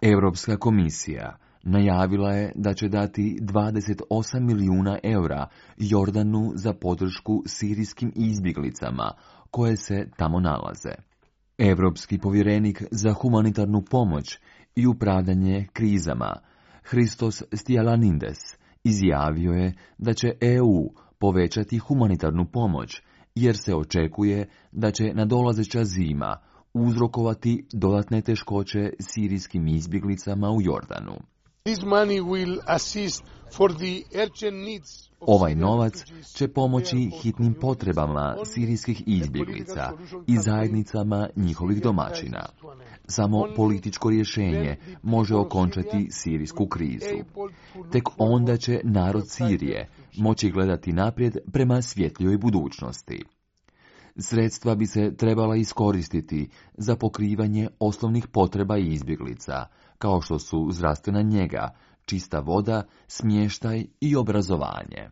Europska komisija najavila je da će dati 28 milijuna eura Jordanu za podršku sirijskim izbjeglicama koje se tamo nalaze. Europski povjerenik za humanitarnu pomoć i upravljanje krizama Christos Stylianides izjavio je da će EU povećati humanitarnu pomoć jer se očekuje da će nadolazeća zima uzrokovati dodatne teškoće sirijskim izbjeglicama u Jordanu. Ovaj novac će pomoći hitnim potrebama sirijskih izbjeglica i zajednicama njihovih domaćina. Samo političko rješenje može okončati sirijsku krizu. Tek onda će narod Sirije moći gledati naprijed prema svjetlijoj budućnosti. Sredstva bi se trebala iskoristiti za pokrivanje osnovnih potreba izbjeglica, kao što su zdravstvena njega, čista voda, smještaj i obrazovanje.